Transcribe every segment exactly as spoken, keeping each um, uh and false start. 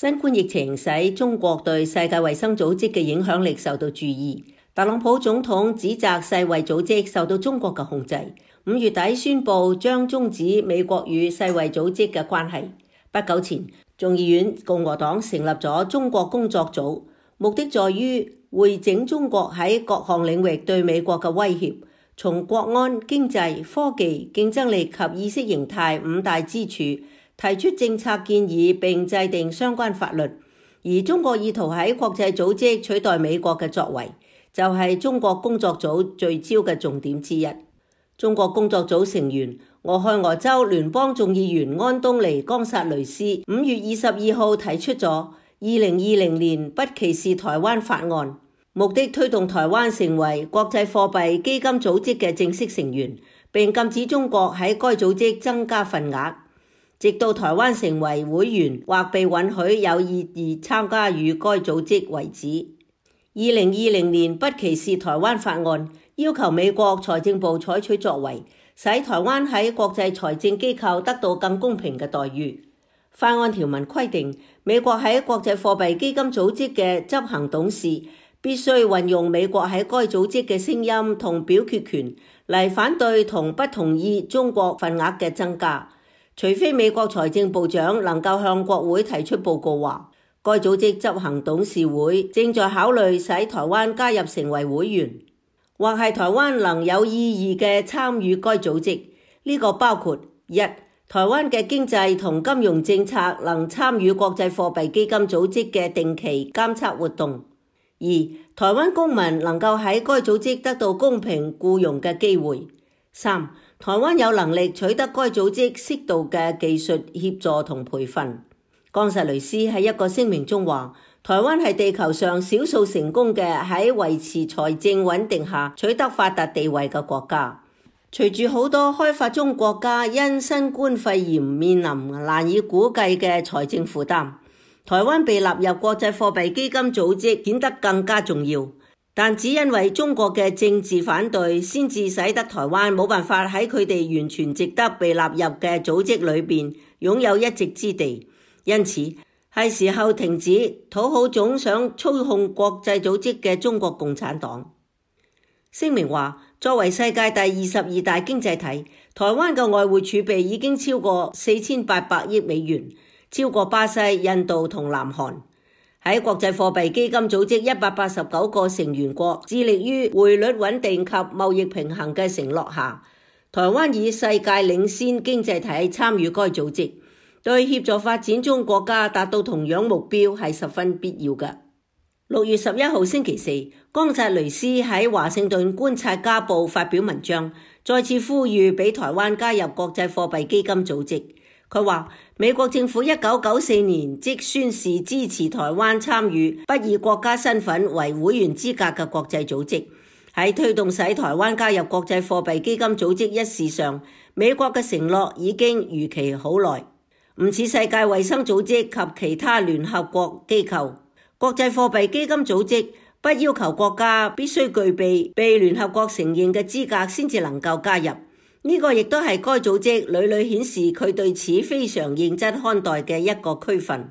新冠疫情使中國對世界衛生組織嘅影響力受到注意。特朗普總統指責世衛組織受到中國嘅控制，五月底宣布將終止美國與世衛組織嘅關係。不久前，眾議院共和黨成立咗中國工作組，目的在於匯整中國喺各項領域對美國嘅威脅，從國安、經濟、科技、競爭力及意識形態五大支柱提出政策建議並制定相關法律。而中國意圖喺國際組織取代美國嘅作為，就係中國工作組聚焦嘅重點之一。中國工作組成員俄亥俄州聯邦眾議員安東尼·岡薩雷斯五月二十二號提出咗二零二零年不歧視台灣法案，目的推動台灣成為國際貨幣基金組織嘅正式成員，並禁止中國喺該組織增加份額，直到台灣成為會員或被允許有意義參加與該組織為止。二零二零年不歧視台灣法案要求美國財政部採取作為，使台灣喺國際財政機構得到更公平嘅待遇。法案條文規定，美國喺國際貨幣基金組織嘅執行董事必須運用美國喺該組織嘅聲音同表決權嚟反對同不同意中國份額嘅增加，除非美國財政部長能夠向國會提出報告話，該組織執行董事會正在考慮使台灣加入成為會員，或係台灣能有意義嘅參與該組織。呢個包括一、台灣嘅經濟同金融政策能參與國際貨幣基金組織嘅定期監測活動；二、台灣公民能夠喺該組織得到公平僱傭嘅機會；三、台灣有能力取得該組織適度嘅技術協助同培訓。岡薩雷斯喺一個聲明中話，台灣係地球上少數成功嘅喺維持財政穩定下取得發達地位嘅國家。隨住好多開發中國家因新冠肺炎面臨難以估計嘅財政負擔，台灣被納入國際貨幣基金組織顯得更加重要。但只因為中國嘅政治反對，先至使得台灣冇辦法喺佢哋完全值得被納入嘅組織裏邊擁有一席之地。因此，係時候停止討好總想操控國際組織嘅中國共產黨。聲明話，作為世界第二十二大經濟體，台灣嘅外匯儲備已經超過四千八百億美元，超過巴西、印度同南韓。喺國際貨幣基金組織一百八十九個成員國致力於匯率穩定及貿易平衡嘅承諾下，台灣以世界領先經濟體參與該組織，對協助發展中國家達到同樣目標係十分必要嘅。六月十一號星期四，岡薩雷斯喺華盛頓觀察家報發表文章，再次呼籲俾台灣加入國際貨幣基金組織。佢話，美國政府一九九四年即宣示支持台灣參與不以國家身份為會員資格嘅國際組織。喺推動使台灣加入國際貨幣基金組織一事上，美國嘅承諾已經逾期好耐。唔似世界衛生組織及其他聯合國機構，國際貨幣基金組織不要求國家必須具備被聯合國承認嘅資格先至能夠加入。呢個亦都係該組織屢屢顯示佢對此非常認真看待嘅一個區分。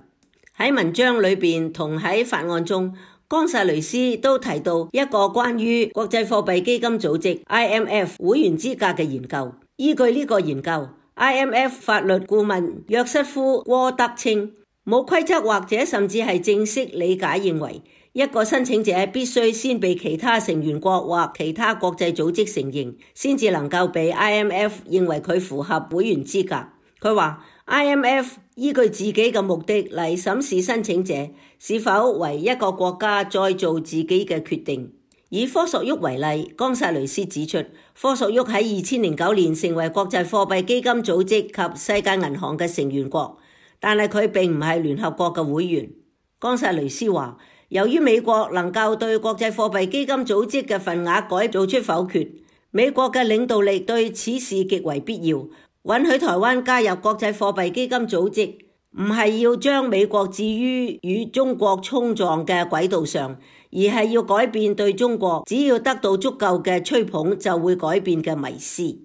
喺文章裏邊同喺法案中，岡薩雷斯都提到一個關於國際貨幣基金組織 I M F 會員資格嘅研究。依據呢個研究，I M F 法律顧問約瑟夫·戈德稱，冇規則或者甚至係正式理解認為，一個申請者必須先被其他成員國或其他國際組織承認，先至能夠被 I M F 認為佢符合會員資格。佢話 I M F 依據自己嘅目的嚟審視申請者是否為一個國家再做自己嘅決定。以科索沃為例，岡薩雷斯指出，科索沃喺二千零九年成為國際貨幣基金組織及世界銀行嘅成員國，但係佢並唔係聯合國嘅會員。岡薩雷斯話，由於美國能夠對國際貨幣基金組織嘅份額改做出否決，美國嘅領導力對此事極為必要。允許台灣加入國際貨幣基金組織，唔係要將美國置於與中國衝撞嘅軌道上，而係要改變對中國只要得到足夠嘅吹捧就會改變嘅迷思。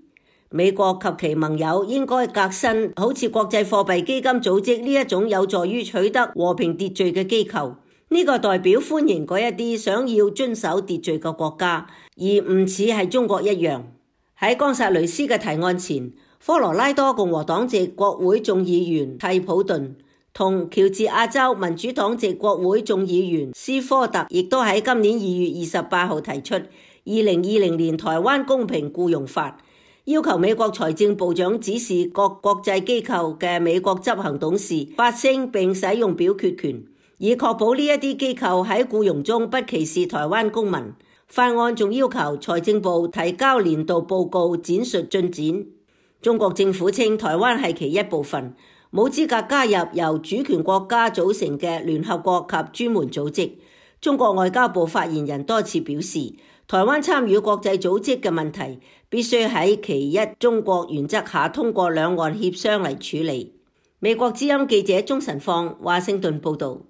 美國及其盟友應該革新好似國際貨幣基金組織呢一種有助於取得和平秩序嘅機構。呢個代表歡迎嗰一啲想要遵守秩序嘅國家，而唔似係中國一樣。喺岡薩雷斯嘅提案前，科羅拉多共和黨籍國會眾議員蒂普頓同喬治亞州民主黨籍國會眾議員斯科特亦都喺今年二月二十八號提出二零二零年台灣公平僱傭法，要求美國財政部長指示各國際機構嘅美國執行董事發聲並使用表決權，以確保呢一啲機構喺僱傭中不歧視台灣公民。法案仲要求財政部提交年度報告展述進展。中國政府稱台灣係其一部分，冇資格加入由主權國家組成嘅聯合國及專門組織。中國外交部發言人多次表示，台灣參與國際組織嘅問題必須喺其一中國原則下通過兩岸協商嚟處理。美國之音記者鍾晨放華盛頓報道。